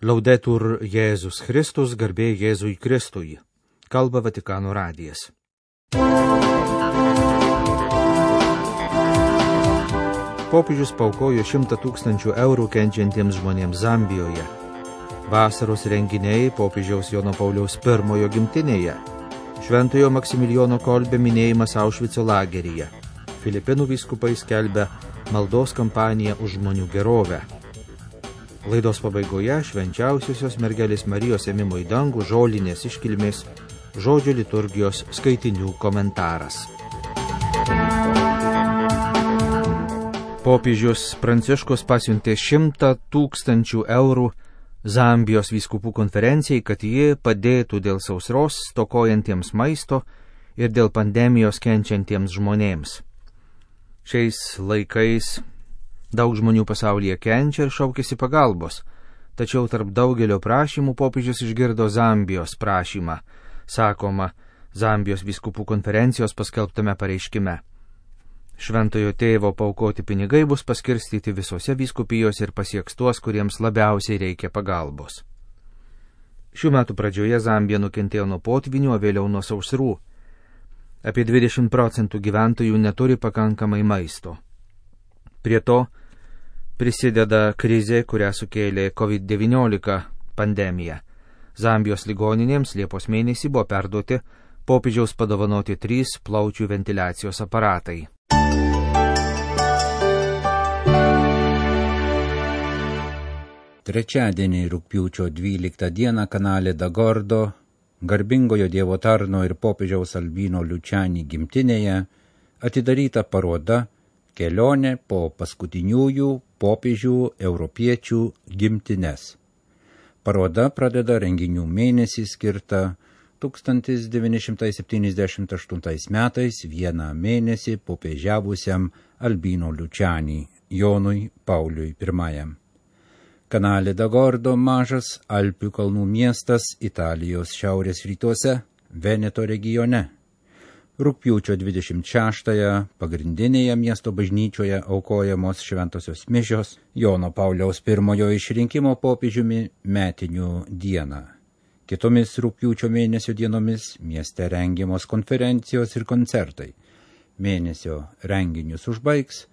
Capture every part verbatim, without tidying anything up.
Laudetur Jėzus Kristus, garbė Jėzui Kristui. Kalba Vatikano radijas. Popiežius paaukojo šimtą tūkstančių eurų kenčiantiems žmonėms Zambijoje. Vasaros renginiai popiežiaus Jono Pauliaus pirmojo gimtinėje. Šventojo Maksimilijono Kolbė minėjimas Aušvico lageryje. Filipinų vyskupai skelbia maldos kampaniją už žmonių gerovę. Laidos pabaigoje švenčiausiosios mergelės Marijos ėmimo į dangų žolinės iškilmės žodžio liturgijos skaitinių komentaras. Popiežius Pranciškus pasiuntė šimtą tūkstančių eurų Zambijos vyskupų konferencijai, kad ji padėtų dėl sausros stokojantiems maisto ir dėl pandemijos kenčiantiems žmonėms. Šiais laikais daug žmonių pasaulyje kenčia ir šaukiasi pagalbos, tačiau tarp daugelio prašymų popiežius išgirdo Zambijos prašymą, sakoma Zambijos vyskupų konferencijos paskelbtame pareiškime. Šventojo tėvo paaukoti pinigai bus paskirstyti visose vyskupijose ir pasieks tuos, kuriems labiausiai reikia pagalbos. Šių metų pradžioje Zambija nukentėjo nuo potvynio, o vėliau nuo sausrų. Apie dvidešimt procentų gyventojų neturi pakankamai maisto. Prie to prisideda krizė, kurią sukėlė covid devyniolika pandemija. Zambijos ligoninėms Liepos mėnesį buvo perduoti popiežiaus padovanoti trys plaučių ventiliacijos aparatai. Trečiadienį rugpjūčio dvyliktą dieną kanale Dagordo, garbingojo Dievo tarno ir popiežiaus Albino Luciani gimtinėje, atidaryta paroda Kelionė po paskutiniųjų popiežių europiečių gimtines. Paroda pradeda renginių mėnesį skirtą tūkstantis devyni šimtai septyniasdešimt aštuntais metais vieną mėnesį popiežiavusiam Albino Luciani, Jonui Pauliui pirmajam. Kanale Dagordo mažas Alpių kalnų miestas Italijos šiaurės rytuose, Veneto regione. Rugpjūčio dvidešimt šeštąją pagrindinėje miesto bažnyčioje aukojamos šventosios mišios Jono Pauliaus pirmojo išrinkimo popiežiumi metinių dieną. Kitomis rugpjūčio mėnesio dienomis mieste rengiamos konferencijos ir koncertai. Mėnesio renginius užbaigs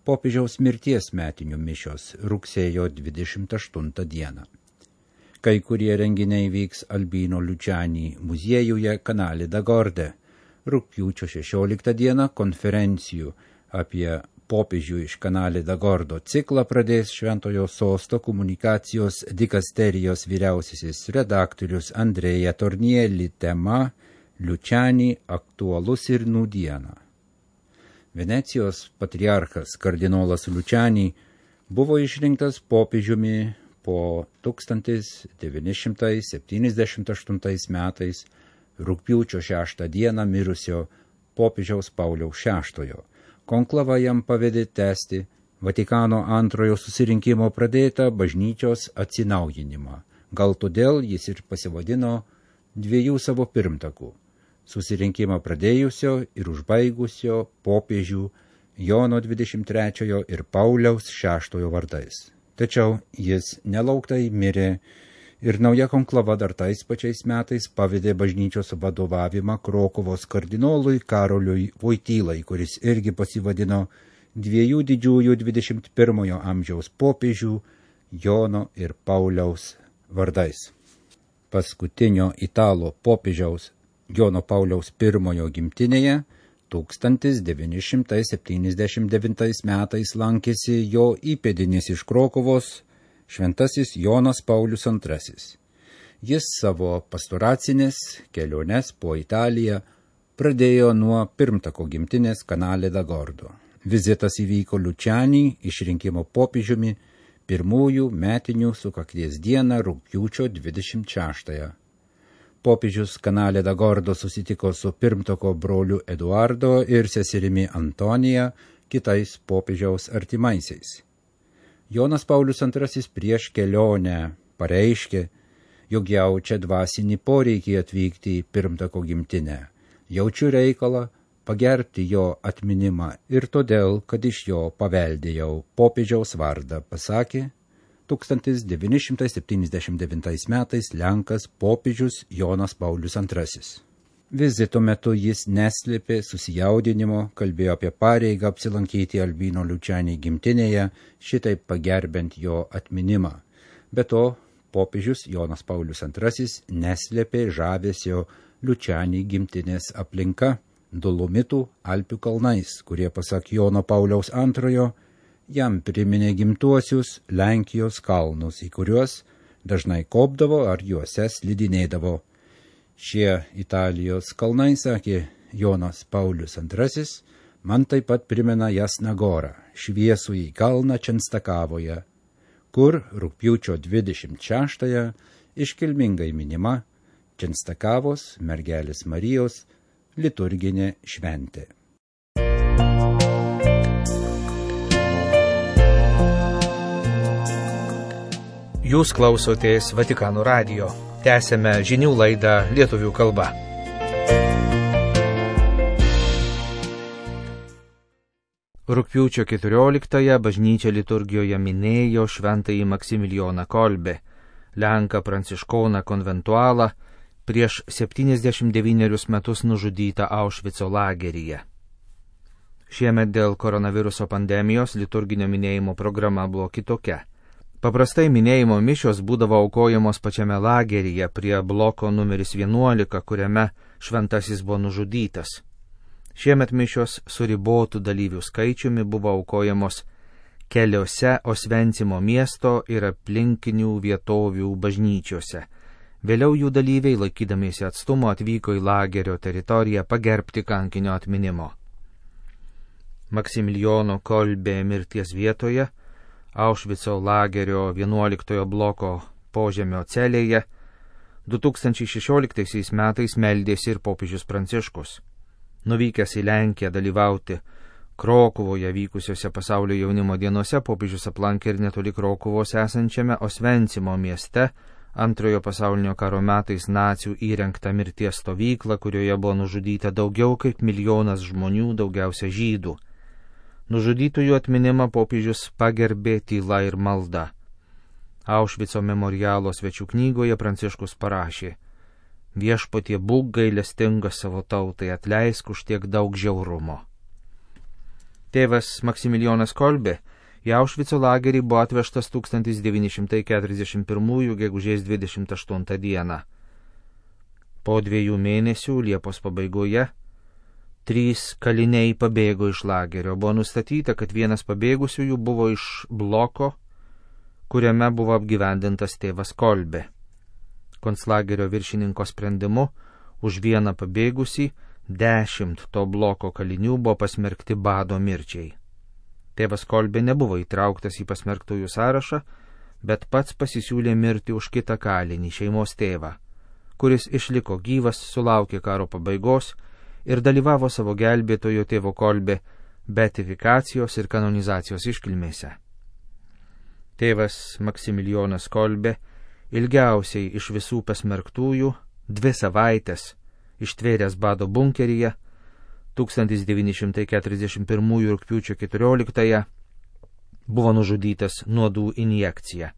popiežiaus mirties metinių mišios rugsėjo dvidešimt aštuntą dieną. Kai kurie renginiai vyks Albino Luciani muziejuje Kanale Dagorde. Rugpjūčio šešioliktą dieną konferencijų apie popiežių iš Kanale Dagordo ciklą pradės Šventojo sosto komunikacijos dikasterijos vyriausiasis redaktorius Andrėja Tornieli, tema Luciani aktualus ir nūdiena. Venecijos patriarchas kardinolas Luciani buvo išrinktas popiežiumi po tūkstantis devyni šimtai septyniasdešimt aštuntais metais rugpjūčio šeštą dieną mirusio popiežiaus Pauliaus šeštojo. Konklava jam pavedė tęsti Vatikano antrojo susirinkimo pradėtą bažnyčios atsinaujinimą. Gal todėl jis ir pasivadino dviejų savo pirmtakų – susirinkimą pradėjusio ir užbaigusio popiežių Jono dvidešimt trečiojo ir Pauliaus šeštojo vardais. Tačiau jis nelauktai mirė ir nauja konklava dar tais pačiais metais pavedė bažnyčios vadovavimą Krokuvos kardinolui Karoliui Vojtylai, kuris irgi pasivadino dviejų didžiųjų dvidešimt pirmojo amžiaus popiežių Jono ir Pauliaus vardais. Paskutinio italo popiežiaus Jono Pauliaus pirmojo gimtinėje tūkstantis devyni šimtai septyniasdešimt devintais metais lankėsi jo įpėdinis iš Krokuvos, šventasis Jonas Paulius antrasis. Jis savo pastoracinės keliones po Italiją pradėjo nuo pirmtako gimtinės Kanale Dagordo. Vizitas įvyko Luciani išrinkimo popiežiumi pirmųjų metinių sukakties dieną rugpjūčio dvidešimt šeštąją. Popiežius Kanale Dagordo susitiko su pirmtako broliu Eduardo ir seserimi Antonija, kitais popiežiaus artimaisiais. Jonas Paulius antrasis prieš kelionę pareiškė, jog jaučia dvasinį poreikį atvykti į pirmtako gimtinę. Jaučiu reikalą pagerbti jo atminimą ir todėl, kad iš jo paveldėjau popiežiaus vardą, pasakė tūkstantis devyni šimtai septyniasdešimt devintais metais Lenkas popiežius Jonas Paulius antrasis. Vizito metu jis neslėpė susijaudinimo, kalbėjo apie pareigą apsilankyti Albino Lučiani gimtinėje, šitaip pagerbent jo atminimą. Be to, popiežius Jonas Paulius antrasis neslėpė žavesio Lučiani gimtinės aplinka, Dolomitų Alpių kalnais, kurie pasak Jono Pauliaus antrojo jam priminė gimtuosius Lenkijos kalnus, į kuriuos dažnai kopdavo ar juose slidinėdavo. Šie Italijos kalnai, sakė Jonas Paulius antrasis, man taip pat primena Jasną Gorą, šviesųjį kalną Čenstakavoje, kur rugpjūčio dvidešimt šeštąją iškilmingai minima Čenstakavos mergelės Marijos liturginė šventė. Jūs klausotės Vatikano radijo. Tęsėme žinių laidą lietuvių kalba. Rugpjūčio keturioliktąją bažnyčia liturgijoje minėjo šventąjį Maksimilijoną Kolbę, lenką pranciškoną konventualą, prieš septyniasdešimt devynerius metus nužudytą Aušvico lageryje. Šiemet dėl koronaviruso pandemijos liturginio minėjimo programa buvo kitokia. Paprastai minėjimo mišios būdavo aukojamos pačiame lageryje prie bloko numeris vienuolika, kuriame šventasis buvo nužudytas. Šiemet mišios su ribotų dalyvių skaičiumi buvo aukojamos keliose Osvencimo miesto ir aplinkinių vietovių bažnyčiose. Vėliau jų dalyviai, laikydamiesi atstumo, atvyko į lagerio teritoriją pagerbti kankinio atminimo. Maksimilijono Kolbė mirties vietoje, Aušvico lagerio vienuoliktojo bloko požemio celėje, du tūkstančiai šešioliktaisiais metais meldėsi ir popiežius Pranciškus. Nuvykęs į Lenkiją dalyvauti Krokuvoje vykusiuose pasaulio jaunimo dienose, popiežius aplankė ir netoli Krokuvos esančiame Osvencimo mieste antrojo pasaulinio karo metais nacių įrengtą mirties stovyklą, kurioje buvo nužudyta daugiau kaip milijonas žmonių, daugiausia žydų. Nužudytųjų atminimą popiežius pagerbė tyla ir malda. Aušvico memorialo svečių knygoje Pranciškus parašė: Viešpatie, būk gailestingas savo tautai, atleisk už tiek daug žiaurumo. Tėvas Maksimilijonas Kolbė į Aušvico lagerį buvo atvežtas tūkstantis devyni šimtai keturiasdešimt pirmųjų gegužės dvidešimt aštuntą dieną. Po dviejų mėnesių Liepos pabaigoje trys kaliniai pabėgo iš lagerio. Buvo nustatyta, kad vienas pabėgusiųjų buvo iš bloko, kuriame buvo apgyvendintas tėvas Kolbė. Konclagerio viršininko sprendimu už vieną pabėgusį dešimt to bloko kalinių buvo pasmerkti bado mirčiai. Tėvas Kolbė nebuvo įtrauktas į pasmerktųjų sąrašą, bet pats pasisiūlė mirti už kitą kalinį, šeimos tėvą, kuris išliko gyvas, sulaukė karo pabaigos ir dalyvavo savo gelbėtojo tėvo Kolbė beatifikacijos ir kanonizacijos iškilmėse. Tėvas Maksimilijonas Kolbė ilgiausiai iš visų pasmerktųjų dvi savaitės ištvėręs bado bunkeryje tūkstantis devyni šimtai keturiasdešimt pirmųjų rugpjūčio keturioliktąją buvo nužudytas nuodų injekcija.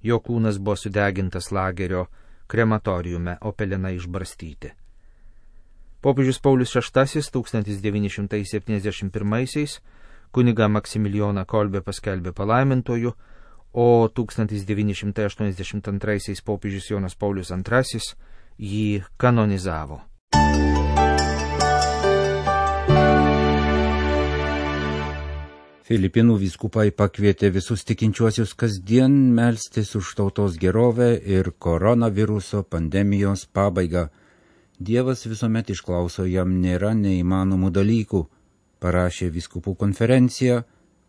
Jo kūnas buvo sudegintas lagerio krematoriume, o pelenai išbarstyti. Popiežius Paulius šeštasis tūkstantis devyni šimtai septyniasdešimt pirmaisiais kunigą Maksimilijoną Kolbę paskelbė palaimintoju, o tūkstantis devyni šimtai aštuoniasdešimt antraisiais popiežius Jonas Paulius antrasis jį kanonizavo. Filipinų vyskupai pakvietė visus tikinčiuosius kasdien melstis už tautos gerovę ir koronaviruso pandemijos pabaigą. Dievas visuomet išklauso, jam nėra neįmanomų dalykų, parašė vyskupų konferencija,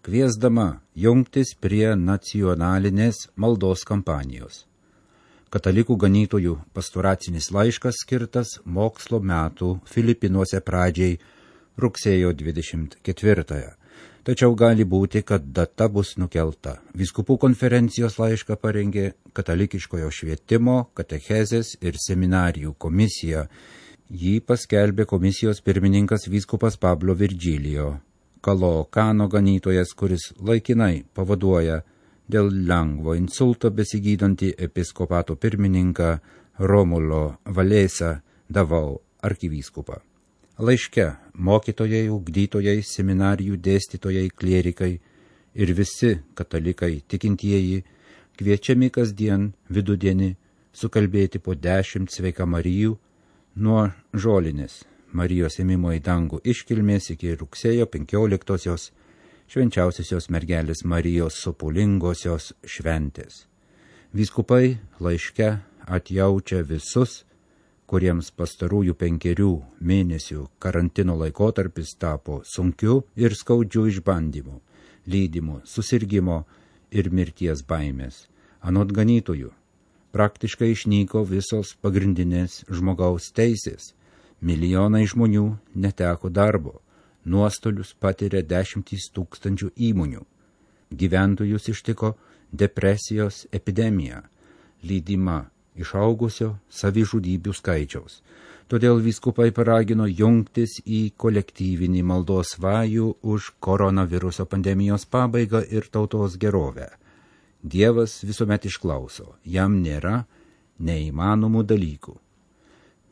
kviesdama jungtis prie nacionalinės maldos kampanijos. Katalikų ganytojų pastoracinis laiškas skirtas mokslo metų Filipinuose pradžiai rugsėjo dvidešimt ketvirtąją. Tačiau gali būti, kad data bus nukelta. Vyskupų konferencijos laišką parengė Katalikiškojo švietimo, katechezės ir seminarijų komisija. Jį paskelbė komisijos pirmininkas vyskupas Pablo Virgilio, Kalookano ganytojas, kuris laikinai pavaduoja dėl lengvo insulto besigydantį episkopato pirmininką Romulo Valėsą Davau arkivyskupą. Laiške mokytojai, ugdytojai, seminarijų dėstytojai, klierikai ir visi katalikai tikintieji kviečiami kasdien vidudienį sukalbėti po dešimt sveika Marijų nuo žolinės Marijos ėmimo į dangų iškilmės iki rugsėjo penkioliktosios švenčiausiosios mergelės Marijos sopulingosios šventės. Vyskupai laiške atjaučia visus, kuriems pastarųjų penkerių mėnesių karantino laikotarpis tapo sunkiu ir skaudžiu išbandymu, lydimu, susirgimo ir mirties baimės. Anot ganytojų, praktiškai išnyko visos pagrindinės žmogaus teisės. Milijonai žmonių neteko darbo, nuostolius patiria dešimtys tūkstančių įmonių. Gyventojus ištiko depresijos epidemija, lydima išaugusio savižudybių skaičiaus. Todėl vyskupai paragino jungtis į kolektyvinį maldos vajų už koronaviruso pandemijos pabaigą ir tautos gerovę. Dievas visuomet išklauso, jam nėra neįmanomų dalykų.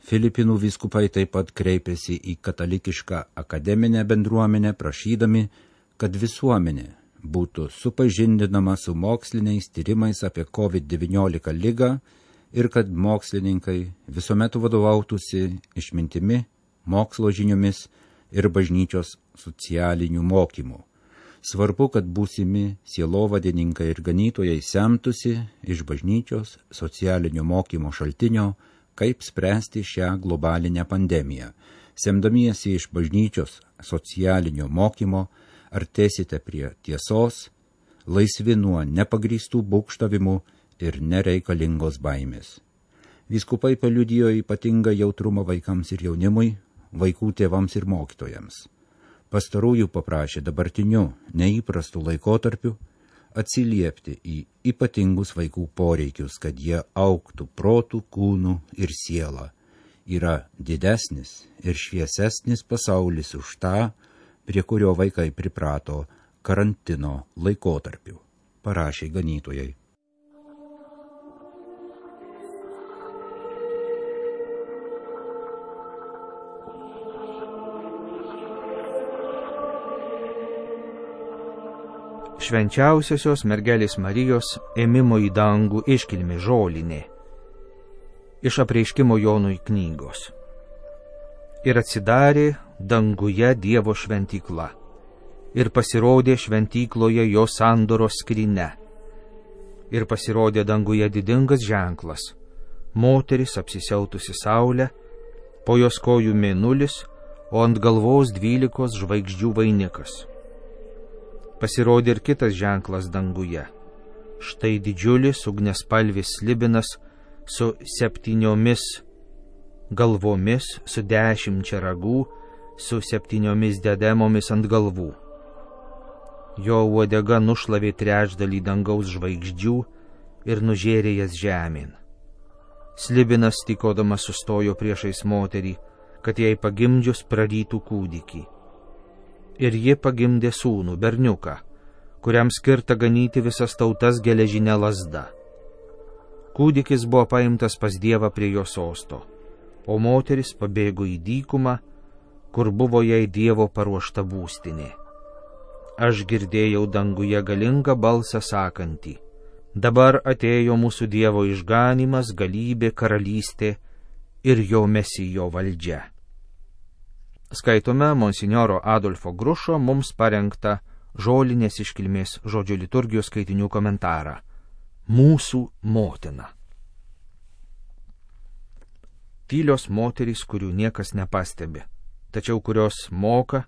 Filipinų vyskupai taip pat kreipėsi į katalikišką akademinę bendruomenę, prašydami, kad visuomenė būtų supažindinama su moksliniais tyrimais apie kovid devyniolika ligą ir kad mokslininkai visuomet vadovautųsi išmintimi, mokslo žiniomis ir bažnyčios socialinių mokymų. Svarbu, kad būsimi sielovadininkai ir ganytojai semtųsi iš bažnyčios socialinio mokymo šaltinio, kaip spręsti šią globalinę pandemiją. Semdamiesi iš bažnyčios socialinio mokymo, artėsite prie tiesos, laisvi nuo nepagrįstų būgštavimų ir nereikalingos baimės. Vyskupai paliudijo ypatingą jautrumą vaikams ir jaunimui, vaikų tėvams ir mokytojams. Pastarųjų paprašė dabartiniu neįprastu laikotarpiu atsiliepti į ypatingus vaikų poreikius, kad jie augtų protų, kūnų ir sielą. Yra didesnis ir šviesesnis pasaulis už tą, prie kurio vaikai priprato karantino laikotarpiu, parašė ganytojai. Švenčiausiosios mergelės Marijos ėmimo į dangų iškilmė žolinė. Iš Apreiškimo Jonui knygos. Ir atsidarė danguje Dievo šventykla. Ir pasirodė šventykloje jo sandoros skrynia. Ir pasirodė danguje didingas ženklas. Moteris apsisiautusi saulę, po jos kojų mėnulis, o ant galvos dvylikos žvaigždžių vainikas. Pasirodė ir kitas ženklas danguje. Štai didžiulis ugniaspalvis slibinas su septyniomis galvomis, su dešimčia ragų, su septyniomis diademomis ant galvų. Jo uodega nušlavė trečdalį dangaus žvaigždžių ir nužėrė jas žemėn. Slibinas tykodamas sustojo priešais moterį, kad jai pagimdžius prarytų kūdikį. Ir ji pagimdė sūnų, berniuką, kuriam skirta ganyti visas tautas geležinė lazda. Kūdikis buvo paimtas pas Dievą prie jo sosto, o moteris pabėgo į dykumą, kur buvo jai Dievo paruošta būstinė. Aš girdėjau danguje galingą balsą sakantį: dabar atėjo mūsų Dievo išganymas, galybė, karalystė ir jo mesijo valdžia. Skaitome monsinjoro Adolfo Grušo mums parengtą žolinės iškilmės žodžio liturgijos skaitinių komentarą. Mūsų motina. Tylios moterys, kurių niekas nepastebi, tačiau kurios moka,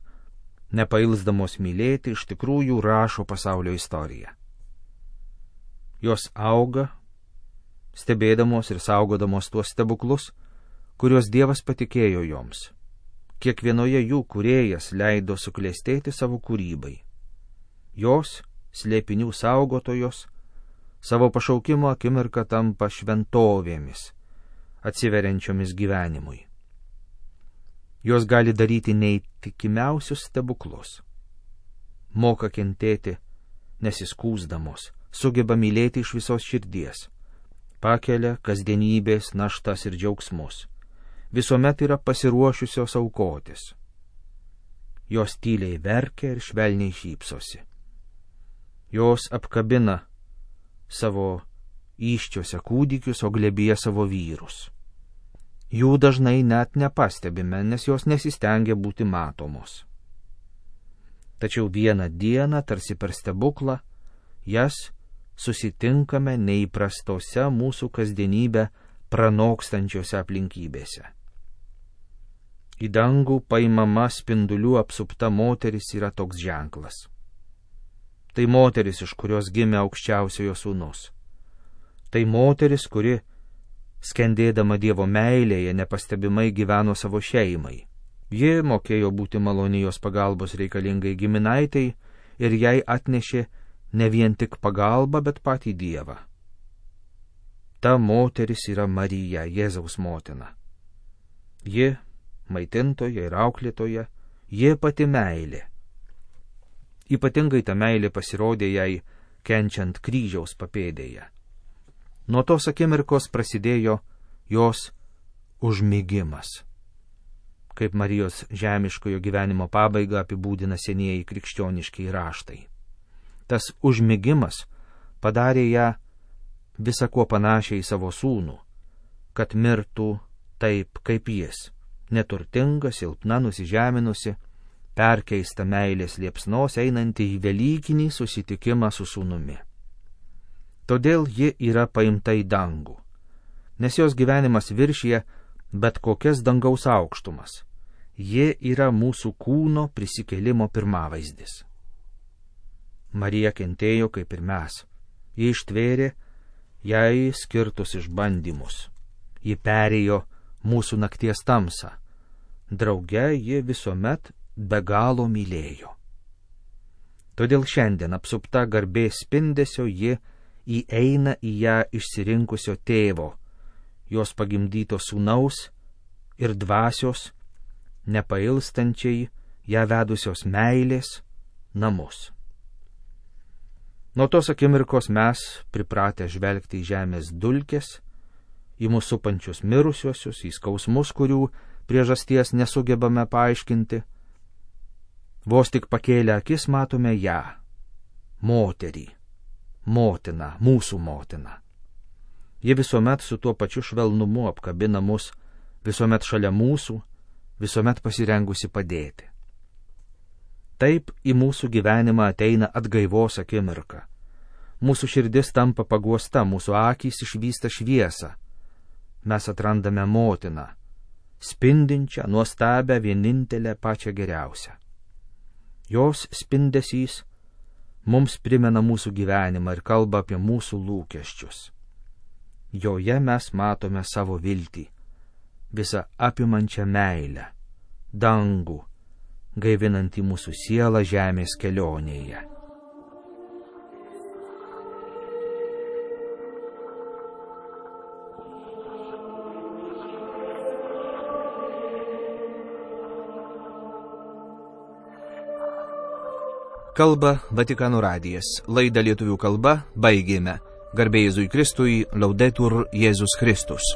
nepailsdamos mylėti, iš tikrųjų rašo pasaulio istoriją. Jos auga, stebėdamos ir saugodamos tuos stebuklus, kuriuos Dievas patikėjo joms. Kiekvienoje jų kūrėjas leido suklestėti savo kūrybai. Jos, slėpinių saugotojos, savo pašaukimo akimirką tampa šventovėmis, atsiveriančiomis gyvenimui. Jos gali daryti neįtikimiausius stebuklus. Moka kentėti, nesiskųsdamos, sugeba mylėti iš visos širdies, pakelia kasdienybės naštas ir džiaugsmus, visuomet yra pasiruošusios aukotis. Jos tyliai verkia ir švelniai šypsosi. Jos apkabina savo įsčiuose kūdikius, o glėbyje savo vyrus. Jų dažnai net nepastebime, nes jos nesistengia būti matomos. Tačiau vieną dieną, tarsi per stebuklą, jas susitinkame neįprastose mūsų kasdienybę pranokstančiose aplinkybėse. Į dangų paimama spindulių apsupta moteris yra toks ženklas. Tai moteris, iš kurios gimė aukščiausiojo sūnus. Tai moteris, kuri, skendėdama Dievo meilėje, nepastebimai gyveno savo šeimai. Ji mokėjo būti malonijos pagalbos reikalingai giminaitai ir jai atnešė ne vien tik pagalbą, bet patį Dievą. Ta moteris yra Marija, Jėzaus motina. Ji maitintoja ir auklėtoja, ji pati meilė. Ypatingai ta meilė pasirodė jai kenčiant kryžiaus papėdėje. Nuo tos akimirkos prasidėjo jos užmigimas. Kaip Marijos žemiškojo gyvenimo pabaigą apibūdina senieji krikščioniški raštai. Tas užmigimas padarė ją visą kuo panašiai į savo sūnų, kad mirtų taip kaip jis, neturtinga, silpna, nusižeminusi, perkeista meilės liepsnos einanti į velykinį susitikimą su sūnumi. Todėl ji yra paimta į dangų, nes jos gyvenimas viršyje bet kokias dangaus aukštumas. Ji yra mūsų kūno prisikėlimo pirmavaizdis. Marija kentėjo kaip ir mes. Ji ištvėrė jai skirtus išbandymus. Ji perėjo mūsų nakties tamsą. Drauge ji visuomet be galo mylėjo. Todėl šiandien apsupta garbės spindesio ji įeina į ją išsirinkusio tėvo, jos pagimdyto sūnaus ir dvasios, nepailstančiai ją vedusios meilės namus. Nuo tos akimirkos mes, pripratę žvelgti į žemės dulkes, į mūsų supančius mirusiuosius, į skausmus, kurių priežasties nesugebame paaiškinti, vos tik pakėlę akis matome ją, moterį, motiną, mūsų motiną. Ji visuomet su tuo pačiu švelnumu apkabina mus, visuomet šalia mūsų, visuomet pasirengusi padėti. Taip į mūsų gyvenimą ateina atgaivos akimirka. Mūsų širdis tampa paguosta, mūsų akys išvysta šviesą. Mes atrandame motiną, spindinčią, nuostabią, vienintelę, pačią geriausią. Jos spindesys mums primena mūsų gyvenimą ir kalba apie mūsų lūkesčius. Joje mes matome savo viltį, visą apimančią meilę, dangų, gaivinantį mūsų sielą žemės kelionėje. Kalba Vatikano radijas. Laidą lietuvių kalba baigėme. Garbė Jėzui Kristui, Laudetur Jėzus Kristus.